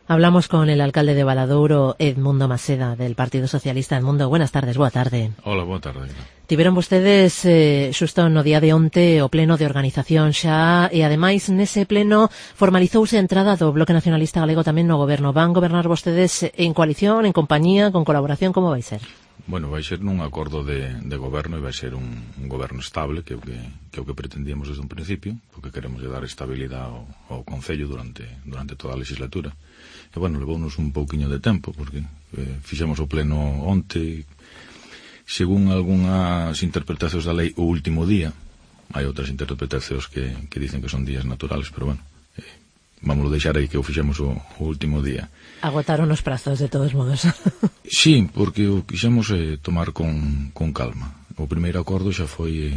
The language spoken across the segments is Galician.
Hablamos con el alcalde de Valadouro, Edmundo Maseda, del Partido Socialista. Edmundo, buenas tardes, boa tarde. Hola, boa tarde. Tiveron vostedes xusto no día de onte o pleno de organización xa, e ademais nese pleno formalizouse a entrada do Bloque Nacionalista Galego tamén no goberno. Van gobernar vostedes en coalición, en compañía, con colaboración, como vai ser? Bueno, vai ser nun acordo de goberno e vai ser un goberno estable, que é o que pretendíamos desde un principio, porque queremos dar estabilidade ao Concello durante toda a legislatura. E, bueno, levounos un pouquiño de tempo, porque fixemos o pleno onte, según algunhas interpretacións da lei, o último día. Hai outras interpretacións que dicen que son días naturales, pero, bueno, vamos deixar aí que o fixemos o último día. Agotaron os prazos, de todos modos. Sí, porque o quixemos tomar con calma. O primeiro acordo xa foi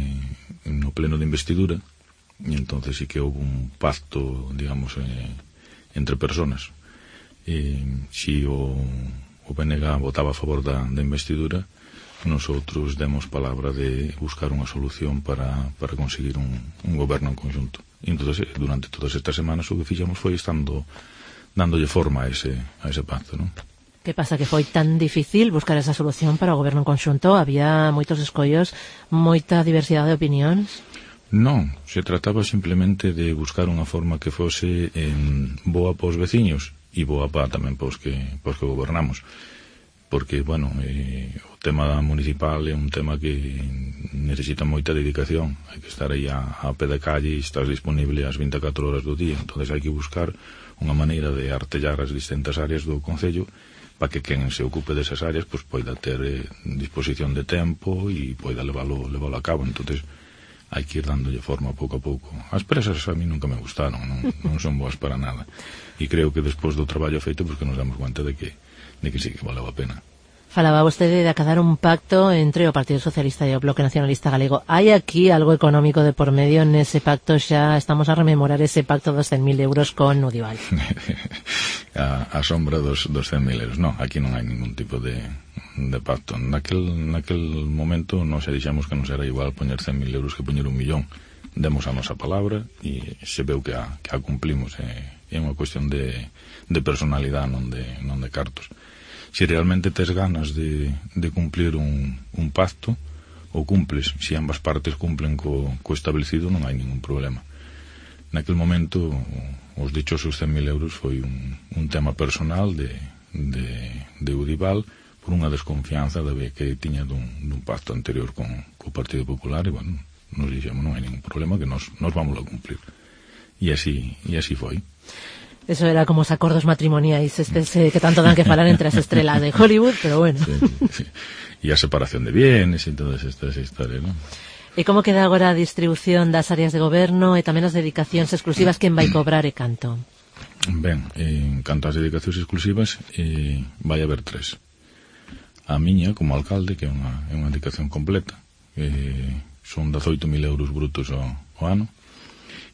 no pleno de investidura, e entonces sí que houve un pacto, digamos, entre personas. Si o BNG votaba a favor da investidura, nosotros demos palabra de buscar unha solución para conseguir un goberno en conjunto. E entonces, durante todas estas semanas, o que fixamos foi dándolle forma a ese pacto, non? Que pasa, que foi tan difícil buscar esa solución para o goberno en conxunto? Había moitos escollos, moita diversidade de opinións? Non, se trataba simplemente de buscar unha forma que fose boa para os veciños e boa para tamén para os que gobernamos. Porque, bueno, o tema municipal é un tema que necesita moita dedicación. Hai que estar aí a pé de calle e estás disponible as 24 horas do día. Entonces hai que buscar unha maneira de artellar as distintas áreas do Concello para que quen se ocupe desas áreas pois poida ter disposición de tempo e poida leválo a cabo. Entonces hai que ir dándolle forma pouco a pouco. As presas a mí nunca me gustaron, non son boas para nada. E creo que despois do traballo feito que nos damos cuenta de que sí que valeu a pena. Falaba vostede de acadar un pacto entre o Partido Socialista e o Bloque Nacionalista Galego. Hai aquí algo económico de por medio nese pacto? Xa estamos a rememorar ese pacto dos 100.000 euros con Udival. a sombra dos 100.000 euros. Non, aquí non hai ningún tipo de pacto. Naquel momento nos dixemos que nos era igual poñer 100.000 euros que poñer 1 millón. Demos a nosa palabra e se veu que a cumplimos. É unha cuestión de personalidade, non de cartos. Se realmente tes ganas de cumplir un pacto, o cumples. Se ambas partes cumplen co establecido, non hai ningún problema. Naquel momento, os dichosos 100.000 euros foi un tema personal de Udival por unha desconfianza que tiña dun pacto anterior con o Partido Popular e, bueno, nos dixemos non hai ningún problema, que nos vamos a cumplir. E así foi. Eso era como os acordos matrimoniais que tanto dan que falar entre as estrelas de Hollywood, pero bueno. Sí. E a separación de bienes e todas estas historias, non? E como queda agora a distribución das áreas de goberno e tamén as dedicacións exclusivas, quen vai cobrar e canto? Ben, en canto ás dedicacións exclusivas, vai haber 3. A miña, como alcalde, que é unha dedicación completa, son 18.000 euros brutos ao ano.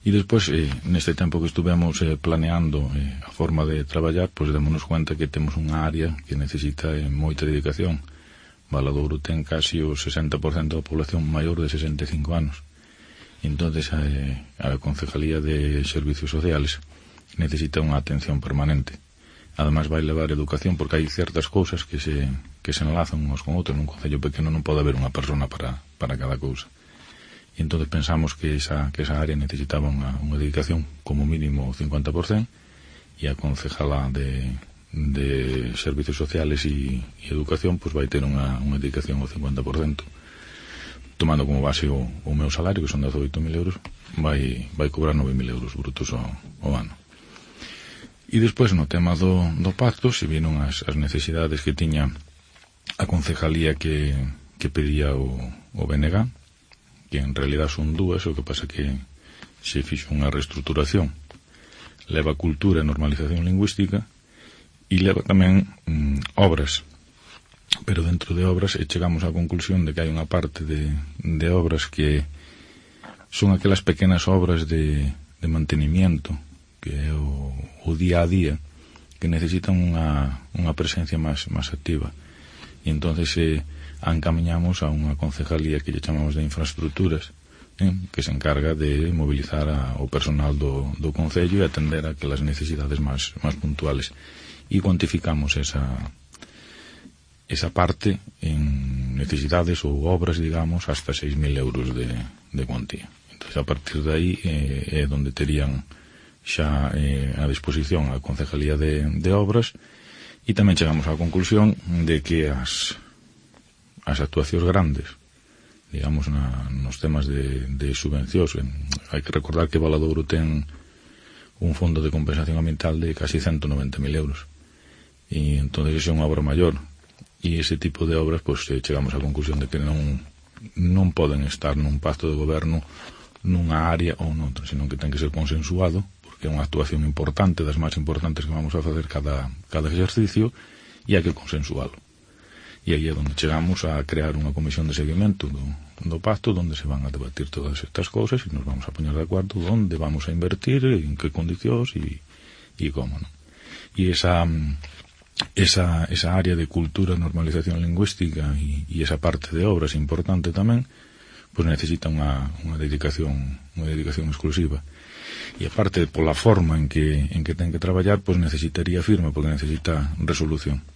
E despois, neste tempo que estuvemos planeando a forma de traballar, pois démonos cuenta que temos unha área que necesita moita dedicación. Valadouro ten casi o 60% da población maior de 65 anos. E entonces a Concejalía de Servicios Sociales necesita unha atención permanente. Ademais vai levar educación, porque hai certas cousas que se enlazan uns con outros. Nun concello pequeno non pode haber unha persona para cada cousa. E entón pensamos que esa área necesitaba unha dedicación como mínimo 50%, e a concejala de Servicios Sociales e Educación pois vai ter unha dedicación ao 50%. Tomando como base o meu salario, que son 18.000 euros, vai cobrar 9.000 euros brutos ao ano. E despois, no tema do pacto, se viron as necesidades que tiña a concejalía que pedía o BNG, que en realidad son 2, o que pasa que se fixo unha reestruturación. Leva cultura e normalización lingüística e leva tamén obras. Pero dentro de obras chegamos á conclusión de que hai unha parte de obras que son aquelas pequenas obras de mantenimiento, que é o día a día, que necesitan unha presencia máis activa. E entonces a encamiñamos a unha concejalía que lle chamamos de infraestructuras, que se encarga de mobilizar o personal do Concello e atender a aquelas necesidades máis puntuales. E cuantificamos esa parte en necesidades ou obras, digamos, hasta 6.000 euros de cuantía. Entón, a partir de aí é onde terían xa a disposición a Concejalía de Obras, e tamén chegamos á conclusión de que as actuacións grandes, digamos, nos temas de subvencións, hai que recordar que Valadouro ten un fondo de compensación ambiental de casi 190.000 euros, e entón é unha obra maior, e ese tipo de obras, pois chegamos á conclusión de que non poden estar nun pacto de goberno nunha área ou noutra, senón que ten que ser consensuado, porque é unha actuación importante, das máis importantes que vamos a facer cada exercicio, e hai que consensualo. E aí é onde chegamos a crear unha comisión de seguimento do pacto, onde se van a debatir todas estas cousas e nos vamos a poñer de acordo onde vamos a invertir, en que condicións e como, non? E esa área de cultura, normalización lingüística e esa parte de obras importante tamén, pois necesita unha dedicación exclusiva. E aparte, pola forma en que ten que traballar, pois necesitaría firma, porque necesita resolución.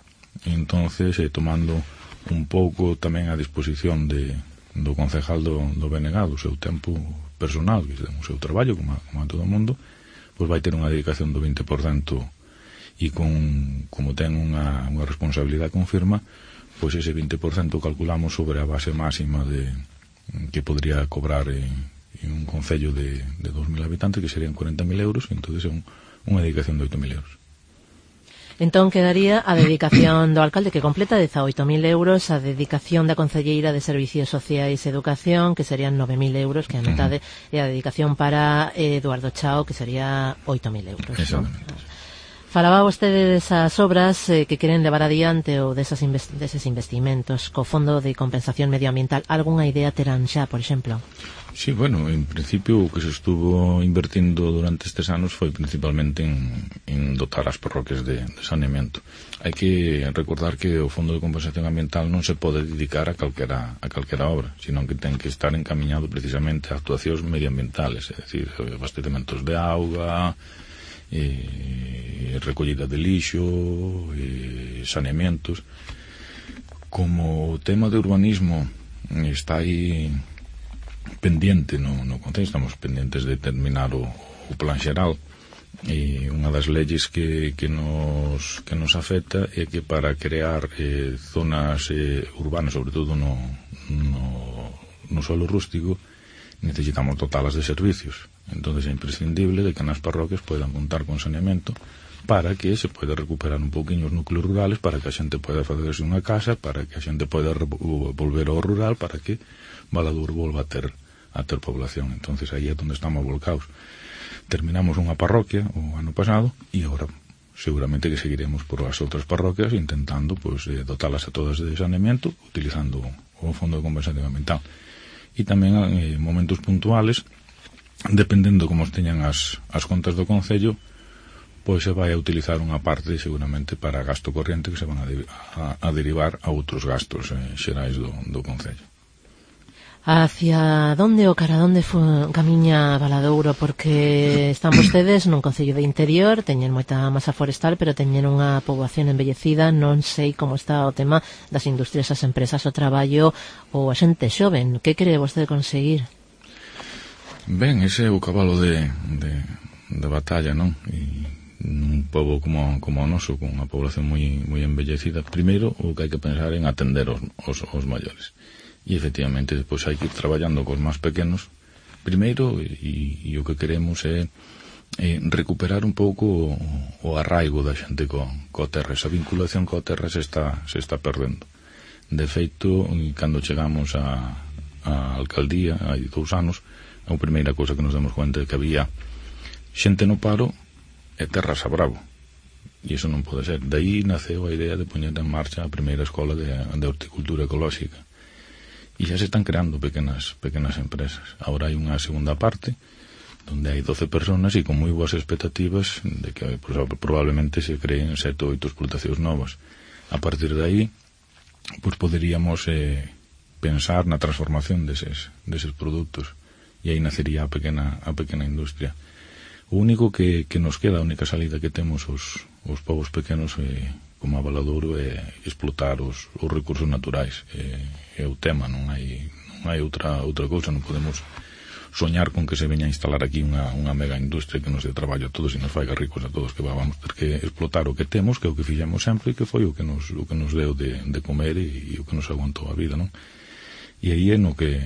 Entonces, tomando un pouco tamén a disposición do concejal do BNG, do seu tempo personal, que ten o seu traballo, como a todo o mundo, pois vai ter unha dedicación do 20%, e como ten unha responsabilidade con firma, pois ese 20% calculamos sobre a base máxima que podría cobrar en un concello de 2.000 habitantes, que serían 40.000 euros, e entón é unha dedicación de 8.000 euros. Entón quedaría a dedicación do alcalde, que completa 18.000 euros, a dedicación da concelleira de Servicios Sociais e Educación, que serían 9.000 euros, que a metade, e a dedicación para Eduardo Chao, que sería 8.000 euros. Exactamente. ¿No? Falaba vostede desas obras que queren levar adiante ou deses investimentos co Fondo de Compensación Medioambiental. Algunha idea terán xa, por exemplo? Sí, bueno, en principio o que se estuvo invertindo durante estes anos foi principalmente en dotar as parroquias de saneamento. Hai que recordar que o Fondo de Compensación Ambiental non se pode dedicar a calquera obra, senón que ten que estar encamiñado precisamente a actuacións medioambientales, é dicir, abastecementos de auga, recollida de lixo, saneamentos. Como o tema de urbanismo está aí pendiente no Concello, estamos pendientes de terminar o plan xeral, e unha das leyes que nos afecta é que para crear zonas urbanas, sobre todo no suelo rústico, necesitamos dotalas de servicios. Entonces é imprescindible de que nas parroquias poidan contar con saneamento para que se poida recuperar un poquinho os núcleos rurales, para que a xente poida facerse unha casa, para que a xente poida volver ao rural, para que Valadouro volva a ter población. Entonces aí é onde estamos volcados. Terminamos unha parroquia o ano pasado e agora seguramente que seguiremos por as outras parroquias intentando dotalas a todas de saneamento utilizando o Fondo de Compensación Ambiental. E tamén en momentos puntuales, dependendo como teñan as contas do Concello, pois se vai a utilizar unha parte seguramente para gasto corriente que se van a derivar a outros gastos xerais do Concello. Hacia onde ou cara onde camiña Valadouro? Porque están vostedes nun concello de interior, teñen moita masa forestal, pero teñen unha poboación envellecida. Non sei como está o tema das industrias, as empresas, o traballo ou a xente xoven. Que quere vostede conseguir? Ben, ese é o cabalo de batalla, non? E un pobo como o noso, con unha población moi envellecida, primeiro o que hai que pensar en atender os maiores. E efectivamente depois hai que ir traballando cos máis pequenos primeiro, e o que queremos é recuperar un pouco o arraigo da xente coa terra. Esa vinculación coa terra se está perdendo. De feito, cando chegamos á alcaldía hai 2 anos, a primeira cousa que nos damos conta é que había xente no paro e terras a bravo, e iso non pode ser. De aí naceu a idea de poñer en marcha a primeira escola de horticultura ecolóxica. E xa se están creando pequenas empresas. Ahora hai unha segunda parte onde hai 12 personas e con moi boas expectativas de que probablemente se creen 7 ou 8 explotacións novas. A partir de aí poderíamos pensar na transformación deses produtos e aí nacería a pequena industria. O único que nos queda, a única salida que temos os povos pequenos como a Valadouro é explotar os recursos naturais. É o tema, non hai outra cousa, non podemos soñar con que se veña a instalar aquí unha mega industria que nos dé traballo a todos e nos faiga ricos a todos, que vamos ter que explotar o que temos, que é o que fixemos sempre e que foi o que nos deu de comer e o que nos aguantou a vida, non? E aí é no que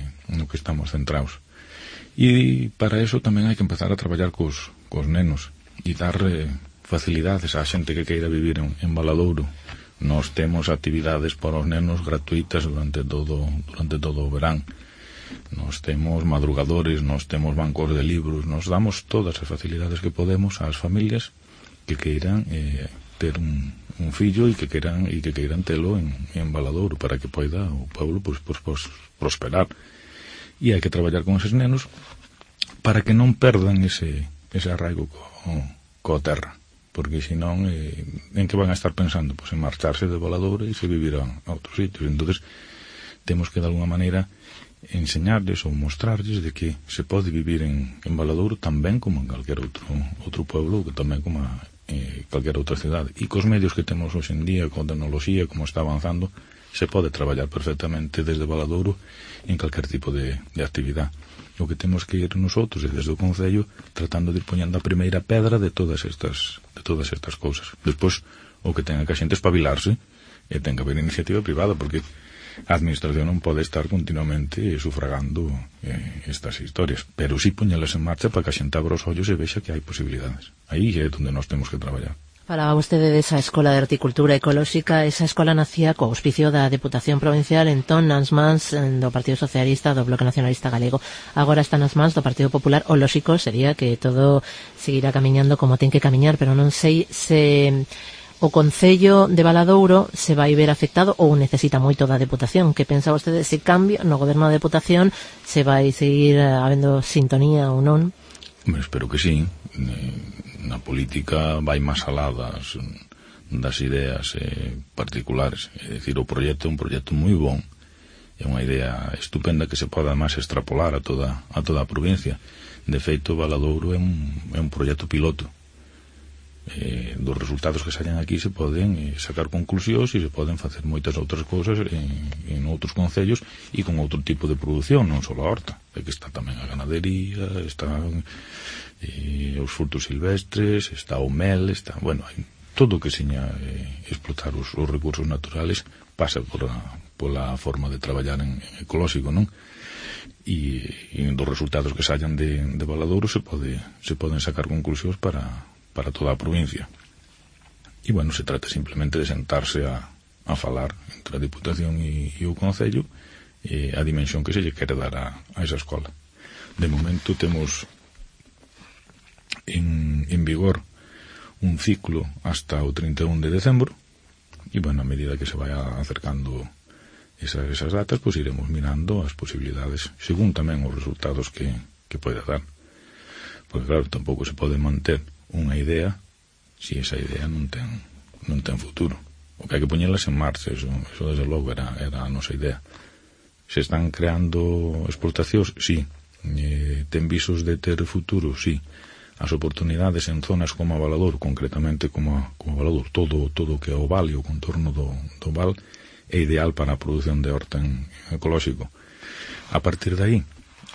estamos centrados. E para eso tamén hai que empezar a traballar cos nenos e dar facilidades á xente que queira vivir en Valadouro. Nós temos actividades para os nenos gratuitas durante todo o verán. Nós temos madrugadores, nós temos bancos de libros, nos damos todas as facilidades que podemos ás familias que queiran ter un fillo e que queiran telo en Valadouro para que poida o pueblo pues, prosperar. E hai que traballar con eses nenos para que non perdan ese arraigo coa terra, porque senón en que van a estar pensando? Pues en marcharse de Valadouro e se vivirán a outros sitios. Entonces temos que de alguna maneira enseñarles ou mostrarles de que se pode vivir en Valadouro tamén como en calquer outro pueblo, que tamén como calquer outra cidade. E cos medios que temos hoxe en día, con tecnoloxía, como está avanzando, se pode traballar perfectamente desde Valadouro en calquer tipo de actividade. O que temos que ir nosotros e desde o Concello tratando de ir poñendo a primeira pedra de todas estas cousas. Despois, o que ten que a xente espabilarse e ten que haber iniciativa privada, porque a administración non pode estar continuamente sufragando estas historias, pero sí poñelas en marcha para que a xente abra os ollos e vexa que hai posibilidades. Aí é onde nós temos que traballar. Falaba vostede desa Escola de Horticultura Ecolóxica. Esa escola nacía co auspicio da Deputación Provincial, entón nas mans do Partido Socialista, do Bloque Nacionalista Galego. Agora está nas mans do Partido Popular. O lóxico sería que todo seguirá camiñando como ten que camiñar, pero non sei se o Concello de Valadouro se vai ver afectado ou necesita moito da Deputación. Que pensa vostede se cambia no goberno da Deputación, se vai seguir habendo sintonía ou non? Espero que sí. Na política vai máis alá das ideas particulares. É dicir, o proxecto é un proxecto moi bon, é unha idea estupenda que se pode máis extrapolar a toda a provincia. De feito, Valadouro é un proxecto piloto. Dos resultados que salen aquí se poden sacar conclusións e se poden facer moitas outras cousas en outros concellos e con outro tipo de produción, non só a horta, é que está tamén a ganadería, están os frutos silvestres, está o mel, está, bueno, hai todo o que seña explotar os recursos naturales pasa pola forma de traballar en ecolóxico, non? E dos resultados que sallan de Valadouro se poden sacar conclusións para toda a provincia. E, bueno, se trata simplemente de sentarse a falar entre a Diputación e o Concello a dimensión que se lle quere dar a esa escola. De momento temos en vigor un ciclo hasta o 31 de decembro e, bueno, a medida que se vaya acercando esas datas, pues iremos mirando as posibilidades según tamén os resultados que poida dar. Porque, claro, tampouco se pode manter unha idea se esa idea non ten futuro. O que hai que poñelas en marcha, eso desde logo era a nosa idea. Se están creando explotacións, sí. Ten visos de ter futuro, sí. As oportunidades en zonas como a Valadouro, concretamente como a Valadouro, todo o que é o val e o contorno do val é ideal para a produción de horta en ecolóxico. A partir de aí,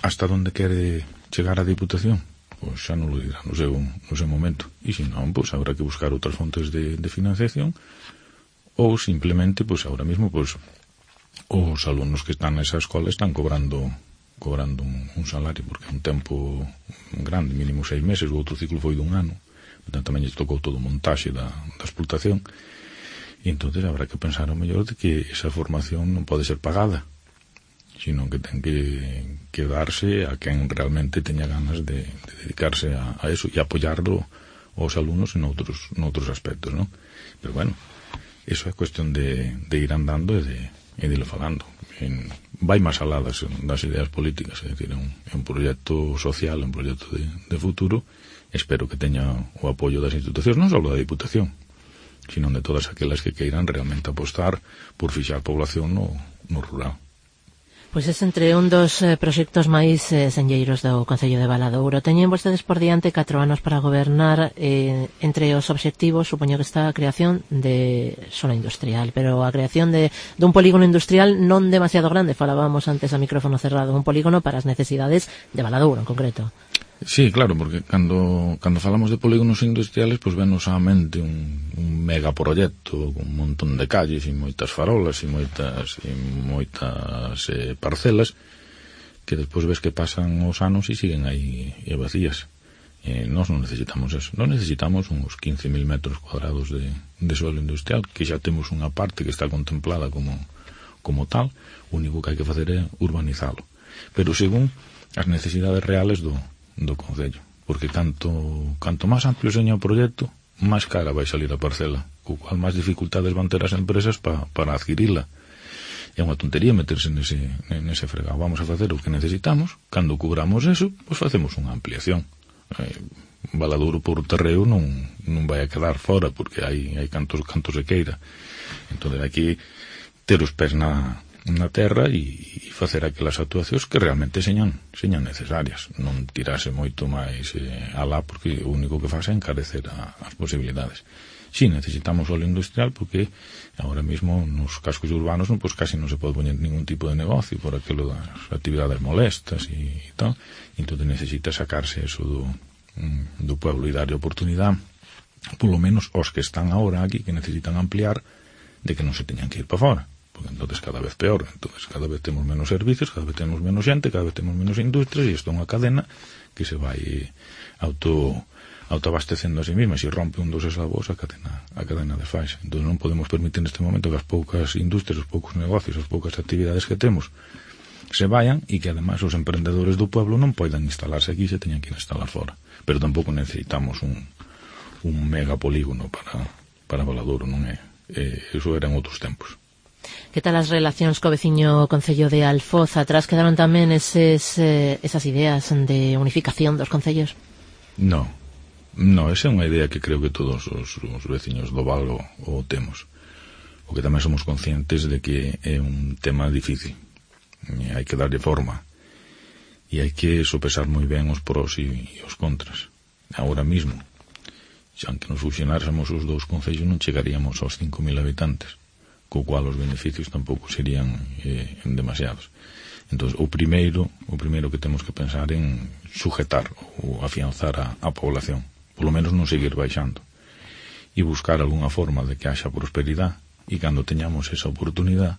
hasta onde quere chegar a Diputación? Pois xa non lo dirá no seu momento. E se non, pois habrá que buscar outras fontes de financiación ou simplemente, pois ahora mismo, pois os alumnos que están nesa escola están cobrando un salario, porque é un tempo grande, mínimo 6 meses, o outro ciclo foi dun ano, portanto tamén lle tocou todo o montaxe da explotación, e entonces habrá que pensar ao mellor de que esa formación non pode ser pagada, sino que ten que darse a quen realmente teña ganas de dedicarse a eso e apoiarlo aos alumnos en outros aspectos, non? Pero bueno, eso é cuestión de ir andando e de irlo falando. Vai máis alá das ideas políticas, é dicir, é un proxecto social, un proxecto de futuro. Espero que teña o apoio das institucións, non só da Diputación, sino de todas aquelas que queiran realmente apostar por fixar población no rural. Pois é entre un dos proxectos máis senlleiros do Concello de Valadouro. Teñen vostedes por diante 4 anos para gobernar. Entre os obxectivos supoño que está a creación de zona industrial, pero a creación dun polígono industrial non demasiado grande, falábamos antes a micrófono cerrado, un polígono para as necesidades de Valadouro en concreto. Sí, claro, porque cando falamos de polígonos industriales, pois venos á mente un megaproxecto con un montón de calles e moitas farolas e moitas parcelas que despois ves que pasan os anos e siguen aí vacías. Nós non necesitamos eso. Nós necesitamos uns 15.000 metros cuadrados de suelo industrial, que xa temos unha parte que está contemplada como tal. O único que hai que facer é urbanizalo. Pero según as necesidades reales do Concello, porque canto máis amplio seña o proxecto, máis cara vai salir a parcela, co cual máis dificultades van ter as empresas para adquirila. É unha tontería meterse nese fregado. Vamos a facer o que necesitamos, cando cubramos eso, pois facemos unha ampliación. Valadouro por terreo non vai a quedar fora, porque hai cantos se queira. Entón, aquí ter os pés na terra e facer aquelas actuacións que realmente señan necesarias, non tirase moito máis alá, porque o único que faz é encarecer as posibilidades. Si, necesitamos solo industrial, porque ahora mismo nos cascos urbanos pois casi non se pode poñer ningún tipo de negocio por aquilo das actividades molestas e tal, entón necesita sacarse eso do pueblo e darlle oportunidade, polo menos os que están ahora aquí, que necesitan ampliar, de que non se teñan que ir para fora. Porque entonces cada vez peor, entonces cada vez temos menos servicios, cada vez temos menos xente, cada vez temos menos industrias, e isto é unha cadena que se vai autoabastecendo a sí mesma. Se rompe un dos eslabos, a cadena desfaixa. Entón non podemos permitir neste momento que as poucas industrias, os poucos negocios, as poucas actividades que temos se vayan, e que ademais os emprendedores do pueblo non poidan instalarse aquí, se teñan que instalar fora. Pero tampouco necesitamos un megapolígono para Valadouro, non é? Eso eran outros tempos. Que tal as relacións co veciño Concello de Alfoz? Atrás quedaron tamén esas ideas de unificación dos concellos? No, esa é unha idea que creo que todos os veciños do Val o temos. O que tamén somos conscientes de que é un tema difícil. Hai que darlle forma e hai que sopesar moi ben os pros e os contras. Agora mismo, xa que nos fusionáramos os dous concellos, non chegaríamos aos 5.000 habitantes, co cual os beneficios tampouco serían demasiados. Entón, o primeiro que temos que pensar en sujetar ou afianzar a población, polo menos non seguir baixando, e buscar algunha forma de que haxa prosperidade, e cando teñamos esa oportunidade,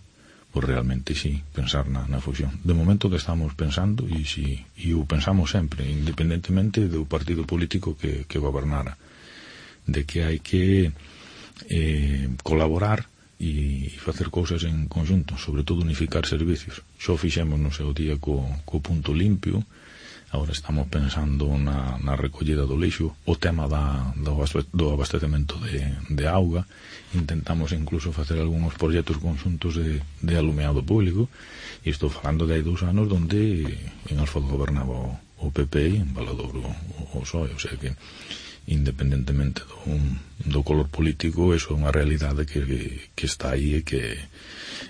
pois realmente sí, pensar na fusión. De momento que estamos pensando, e o pensamos sempre, independentemente do partido político que gobernara, de que hai que colaborar e facer cousas en conjunto, sobre todo unificar servicios. Xo fixemos no seu día co punto limpio, agora estamos pensando na recollida do lixo, o tema do abastecemento de auga, intentamos incluso facer algúns proxectos conjuntos de alumeado público, e estou falando de hai 2 anos donde en Alfoz gobernaba o PP e en Valadouro o PSOE, o sea que independentemente do color político, eso é unha realidade que está aí e que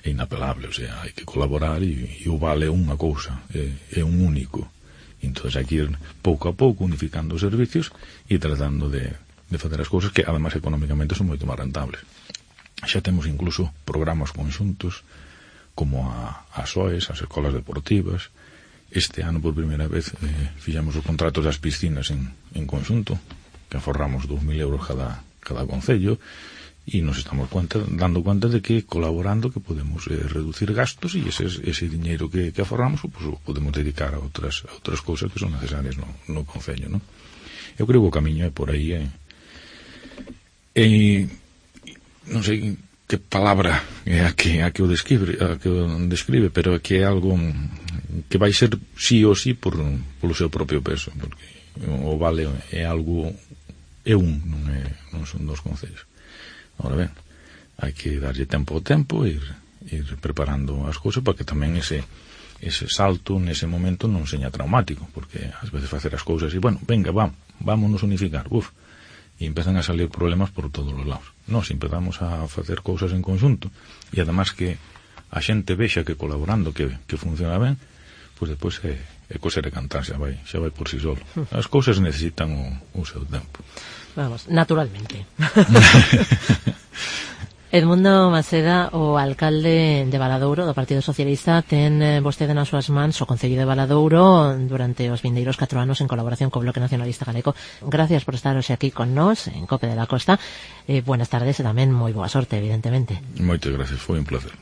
é inapelable, o sea, hai que colaborar e o vale unha cousa, é un único. Entón hai que ir pouco a pouco unificando os servicios e tratando de facer as cousas que además económicamente son moito máis rentables. Xa temos incluso programas conxuntos como as SOEs, as escolas deportivas. Este ano por primeira vez fixemos os contratos das piscinas en conxunto, que aforramos 2.000 euros cada concello, e nos estamos dando conta de que colaborando que podemos reducir gastos, e ese diñeiro que aforramos pues, podemos dedicar a outras cousas que son necesarias no concello, non? Eu creo que o camiño é por aí, non sei que palabra é a que o describe, pero é que é algo que vai ser sí ou sí polo seu propio peso, porque o Vale é algo, non son 2 concellos. Ahora ben, hai que darlle tempo ao tempo e ir preparando as cousas para que tamén ese salto nese momento non seña traumático, porque ás veces facer as cousas e, bueno, venga, vámonos unificar, e empezan a salir problemas por todos os lados. Nós empezamos a facer cousas en conjunto, e además que a xente vexa que colaborando que funciona ben, pois depois é coser e cantar, xa vai por si solo. As cousas necesitan o seu tempo. Vamos, naturalmente. Edmundo Maseda, o alcalde de Valadouro do Partido Socialista, ten vostede nas súas mans o Concello de Valadouro durante os vindeiros 4 anos en colaboración co Bloque Nacionalista Galego. Gracias por estar hoxe aquí con nós en COPE de la Costa. Buenas tardes e tamén moi boa sorte, evidentemente. Moitas gracias, foi un placer.